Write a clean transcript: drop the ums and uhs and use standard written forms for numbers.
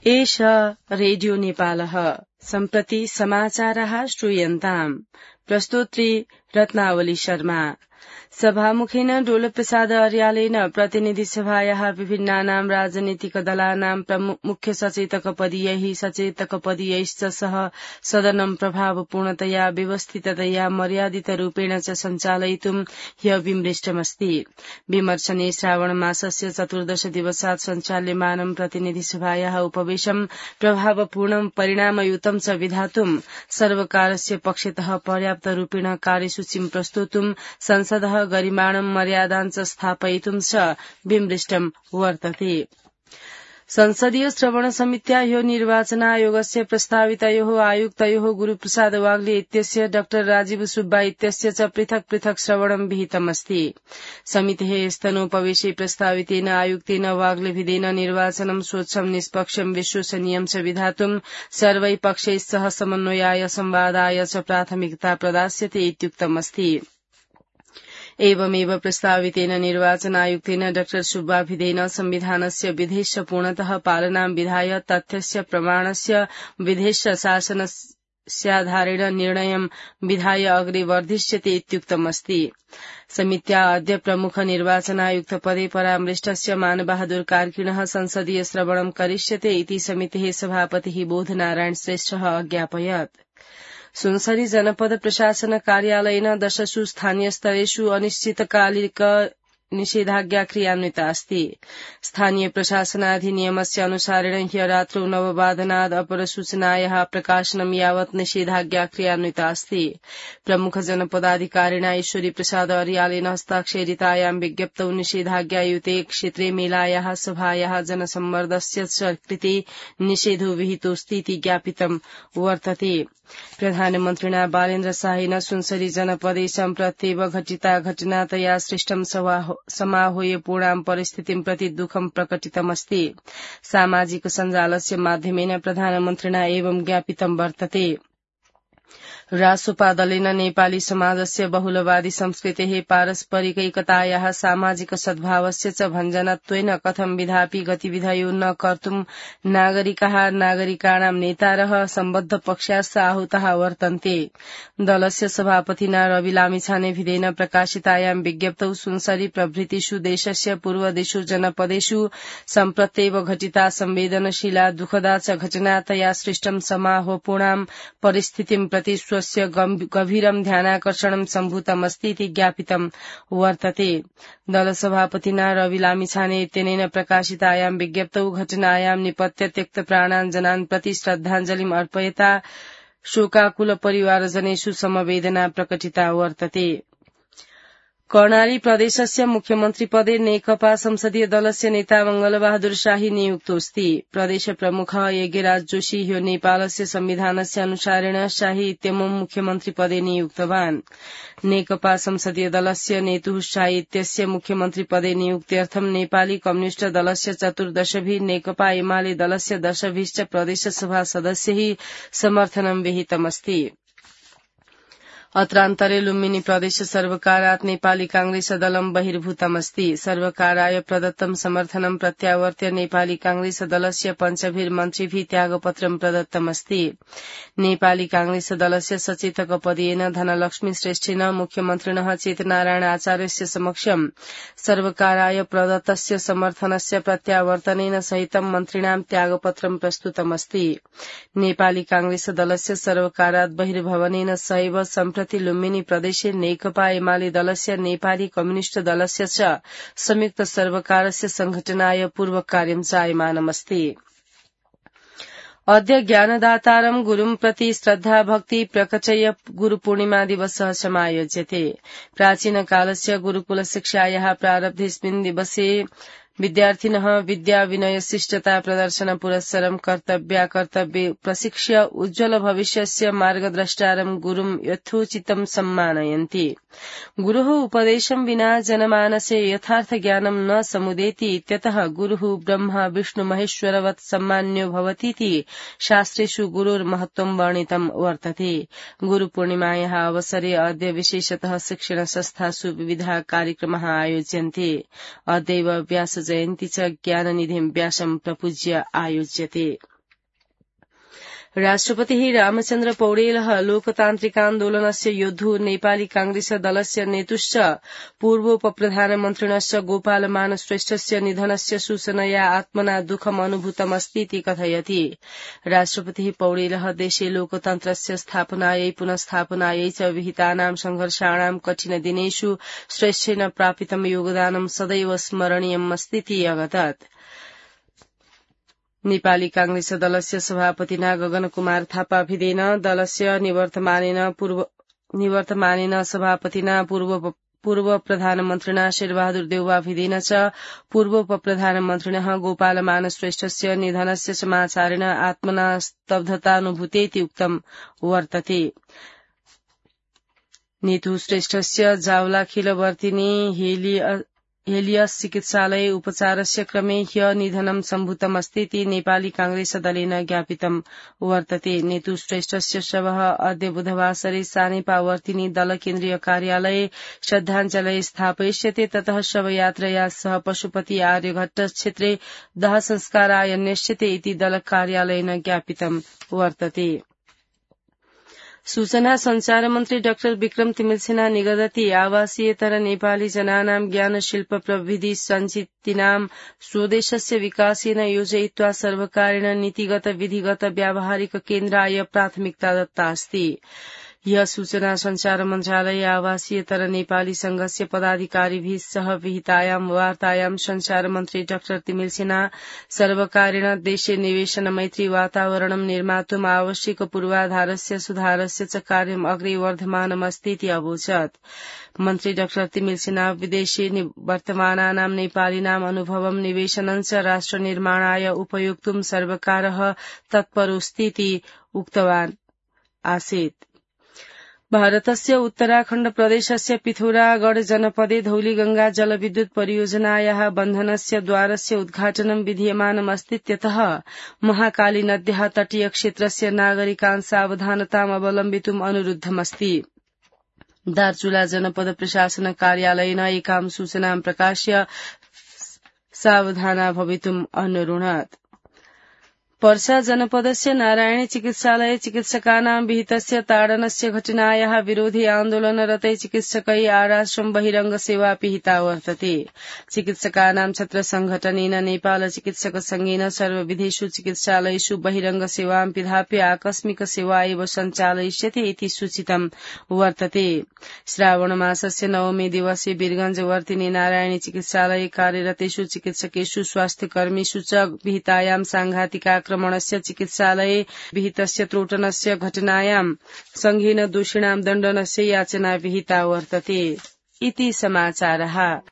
एष रेडियो नेपालः सम्प्रति समाचारः श्रूयन्ताम्। प्रस्तोत्री रत्नावली शर्मा। सभामुखेन डोलप्रसाद अर्यालेन प्रतिनिधि सभायाः विभिन्नानां राजनीतिक दलानां मुख्य सचेतकपदीयैः सचेतकपदीयैश्च सह सदनं प्रभावपूर्णतया व्यवस्थिततया मर्यादितरूपेण च सञ्चालयितुं ह्य विमृष्टमस्ति। विमर्शने श्रावणमासस्य 14 दिवसात् सञ्चाल्यमानं प्रतिनिधि सभायाः उपवेशं प्रभावपूर्णं परिणामयुतं च विधातुं सर्वकारस्य पक्षतः पर्याप्तरूपेण कार्यसूचीं प्रस्तोतुं संसदः गरिमाणं मर्यादां च स्थापयितुं च विमृष्टं वर्तते। संसदीय श्रवण समित्या ह्यो निर्वाचनायोगस्य प्रस्तावितयोः आयुक्तयोः गुरुप्रसाद वाग्ले इत्यस्य डॉ राजीव सुब्बा इत्यस्य च पृथक् पृथक् श्रवणं विहितमस्ति। समितेः स्तनोपवेशे प्रस्तावितेन आयुक्तेन वाग्लेभिदेन निर्वाचनं स्वच्छं निष्पक्षं विश्वसनीयं च विधातुं सर्वैः पक्षैः सह समन्वयाय संवादाय च प्राथमिकता प्रदास्यते इत्युक्तमस्ति। एवमेव प्रस्तावितेन निर्वाचनायुक्तेन डॉ सुब्बाभिदेन संविधानस्य विधेश्च पूर्णतः पालनां विधाय तथ्यस्य प्रमाणस्य विधेश्च शासनस्याधारेण निर्णयं विधाय अग्रे वर्धिष्यते इत्युक्तमस्ति। समित्या अद्य प्रमुख निर्वाचनायुक्तपदे परामृष्टस्य मानबहादुर कार्किणः संसदीय श्रवणं करिष्यते इति समितेः सभापतिः बोधनारायण श्रेष्ठः अज्ञापयत्। सुनसरी जनपद प्रशासन कार्यालयेन 10 स्थानीयस्तरेषु अनिश्चितकालिक निषेधाज्ञा क्रियान्विता अस्ति। स्थानीय प्रशासनाधिनियमस्य अनुसारेण ह्य रात्रौ 9:00 अपरसूचनायाः प्रकाशनं यावत् निषेधाज्ञा क्रियान्विता अस्ति। प्रमुख जनपदाधिकारिणा ईश्वरी प्रसाद अर्यालेन हस्ताक्षरितायां विज्ञप्तौ निषेधाज्ञायुते क्षेत्रे मेलायाः सभायाः जनसम्मर्दस्य च कृते निषेधो विहितोऽस्ति इति ज्ञापितं वर्तते। प्रधानमन्त्रिणा बालेन्द्र शाहेन सुनसरी जनपदे सम्प्रत्येव घटिता घटनातया सृष्टं समाहूय पूर्णां परिस्थितिं प्रति दुःखं प्रकटितमस्ति। सामाजिक सञ्जालस्य माध्यमेन प्रधानमन्त्रिणा एवं ज्ञापितं वर्तते। रासोपा दलेन नेपाली समाजस्य बहुलवादी संस्कृतेः पारस्परिकैकतायाः सामाजिक सद्भावस्य च भञ्जनत्वेन कथं विधापि गतिविधयो न कर्तुं नागरिकाणां नेतारः सम्बद्ध पक्षाश्च आहूताः वर्तन्ते। दलस्य सभापतिना रवि लामिछानेभिदेन प्रकाशितायां विज्ञप्तौ सुनसरी प्रभृतिषु देशस्य पूर्वदिषु जनपदेषु सम्प्रत्येव घटिता संवेदनशीला दुःखदा च घटनातया सृष्टं समाहूपूर्णां परिस्थितिं प्रति स्वस्य गभीरं ध्यानाकर्षणं सम्भूतमस्ति इति ज्ञापितं वर्तते। दलसभापतिना रवि लामिछाने इत्यनेन प्रकाशितायां विज्ञप्तौ घटनायां निपत्य त्यक्तप्राणान् जनान् प्रति श्रद्धाञ्जलिम् अर्पयता शोकाकुल परिवारजनेषु समवेदना प्रकटिता वर्तते। कर्णाली प्रदेशस्य मुख्यमन्त्रिपदे नेकपा संसदीय दलस्य नेता मंगलबहादुर शाही नियुक्तोऽस्ति। प्रदेश प्रमुखः यज्ञराज जोशी ह्यो नेपालस्य संविधानस्य अनुसारेण शाही इत्यमुं मुख्यमन्त्रिपदे नियुक्तवान्। नेकपा संसदीय दलस्य नेतुः शाही इत्यस्य मुख्यमन्त्रिपदे नियुक्त्यर्थं नेपाली कम्युनिष्ट दलस्य 14 नेकपा एमाले दलस्य 10 प्रदेशसभा सदस्यैः समर्थनं विहितमस्ति। अत्रान्तरे लुम्बिनी प्रदेश सर्वकारात् नेपाली कांग्रेस दलं बहिर्भूतमस्ति। सर्वकाराय प्रदत्तं समर्थनं प्रत्यावर्त्य नेपाली कांग्रेस दलस्य 5 मन्त्रिभिः त्यागपत्रं प्रदत्तमस्ति। नेपाली कांग्रेस दलस्य सचेतकपदेन धनलक्ष्मी श्रेष्ठेन मुख्यमन्त्रिणः चेतनारायण आचार्यस्य समक्षं सर्वकाराय प्रदत्तस्य समर्थनस्य प्रत्यावर्तनेन सहितं मन्त्रिणां त्यागपत्रं प्रस्तुतमस्ति। नेपाली कांग्रेस दलस्य सर्वकारात् बहिर्भवनेन सहैव सम्प्रति लुम्बिनी प्रदेशे नेकपा एमाले दलस्य नेपाली कम्युनिष्ट दलस्य च संयुक्त सर्वकारस्य संघटनाय पूर्वकार्यं जायमानमस्ति। अद्य ज्ञानदातारं गुरुं प्रति श्रद्धा भक्ति प्रकटय गुरुपूर्णिमा दिवसः समायोज्यते। प्राचीनकालस्य गुरुकुल शिक्षायाः प्रारब्धेऽस्मिन् दिवसे विद्यार्थिनः विद्या विनय शिष्टता प्रदर्शन पुरस्सरं कर्तव्य प्रशिक्ष्य उज्ज्वल भविष्यस्य मार्गद्रष्टारं गुरुं यथोचितं सम्मानयन्ति। गुरुः उपदेशं विना जनमानसे यथार्थ ज्ञानं न समुदेति इत्यतः गुरुः ब्रह्मा विष्णु महेश्वरवत् सम्मान्यो भवतीति शास्त्रेषु गुरुर्महत्त्वं वर्णितं वर्तते। गुरुपूर्णिमायाः अवसरे अद्य विशेषतः शिक्षण संस्थासु विविधाः कार्यक्रमाः आयोज्यन्ते। अद्यैव व्यास जयन्ती च ज्ञाननिधिं व्यासं प्रपूज्य आयोज्यते। राष्ट्रपतिः रामचन्द्र पौडेलः लोकतान्त्रिकान्दोलनस्य योद्धु नेपाली कांग्रेस दलस्य नेतुश्च पूर्वोपप्रधानमन्त्रिणश्च गोपालमान श्रेष्ठस्य निधनस्य सूचनया आत्मना दुःखम् अनुभूतमस्ति इति कथयति। राष्ट्रपतिः पौडेलः देशे लोकतन्त्रस्य स्थापनायै पुनस्थापनायै च विहितानां संघर्षाणां कठिन दिनेषु श्रेष्ठेन प्रापितं योगदानं सदैव स्मरणीयमस्ति इति अगतत्। नेपाली कांग्रेस दलस्य सभापतिना गगन कुमार थापा भिदेन दलस्य निवर्तमानेन सभापतिना पूर्व प्रधानमन्त्रिणा शेरबहादुर देउवा भिदेन च पूर्वोपप्रधानमन्त्रिणः गोपालमान श्रेष्ठस्य निधनस्य समाचारेण आत्मना स्तब्धतानुभूतेति उक्तं वर्तते। नीतू श्रेष्ठस्य जावलाखिलवर्तिनी हेलियस चिकित्सालये उपचारस्य क्रमे ह्य निधनं सम्भूतमस्ति इति नेपाली कांग्रेस दलेन ज्ञापितं वर्तते। नीतू श्रेष्ठस्य शवः अद्य बुधवासरे सानेपावर्तिनी दल केन्द्रीय कार्यालये श्रद्धाञ्जलये स्थापयिष्यते। ततः शवयात्रया सह पशुपति आर्यघट्ट क्षेत्रे दाह संस्काराय नेष्यते इति दल कार्यालयेन ज्ञापितं वर्तते। सूचना संचार मन्त्री डाक्टर विक्रम तिमिल्सिना निगदति आवासीयतर नेपाली जनानां ज्ञान शिल्प प्रविधि सञ्चितिनां स्वदेशस्य विकासेन योजयित्वा सर्वकारेण नीतिगत विधिगत व्यावहारिक केन्द्राय प्राथमिकता दत्ता अस्ति। यह सूचना संचार मन्त्रालय आवासीयतर नेपाली संघस्य पदाधिकारीभिः सह विहितायां वार्तायां संचार मन्त्री डाक्टर तिमिल्सिना सर्वकारेण देशे निवेशन मैत्री वातावरणं निर्मातुम् आवश्यक पूर्वाधारस्य सुधारस्य च कार्यम् अग्रे वर्धमानमस्ति इति अवोचत्। मन्त्री डाक्टर तिमिल्सिना विदेशे वर्तमानानां नेपालिनाम् अनुभवं निवेशनं च राष्ट्र निर्माणाय उपयोक्तुं सर्वकारः तत्परोऽस्ति इति उक्तवान् आसीत्। भारतस्य उत्तराखण्ड प्रदेशस्य पिथौरागढ़ जनपदे धौलीगंगा जलविद्युत परियोजनायाः बन्धनस्य द्वारस्य उद्घाटनं विधीयमानमस्तीत्यतः महाकाली नद्याः तटीय क्षेत्रस्य नागरिकान् सावधानताम् अवलम्बितुम् अनुरुद्धमस्ति। दार्चुला जनपद प्रशासन कार्यालयेन एकां सूचनां प्रकाश्य सावधाना भवितुम् अनुरुणत्। पर्सा जनपदस्य नारायणी चिकित्सालये चिकित्सकानां विहितस्य ताडनस्य घटनायाः विरोधि आन्दोलनरतै चिकित्सकै आराश्रम बहिरंग सेवा पिहिता वर्तते। चिकित्सकानां छत्र संघटनेन नेपाल चिकित्सक संघेन सर्वविधेषु चिकित्सालयेषु बहिरंग सेवां पिधाप्य आकस्मिक सेवा एव सञ्चालयिष्यते इति सूचितं वर्तते। श्रावण मासस्य 9 दिवसे वीरगंजवर्तिनी नारायणी चिकित्सालये कार्यरतेषु चिकित्सकेषु स्वास्थ्यकर्मीषु च विहितायां सांघातिक आक्रमणस्य चिकित्सालये विहितस्य त्रोटनस्य घटनायां संघेन दोषिणां दण्डनस्य याचना विहिता वर्तते इति समाचारः।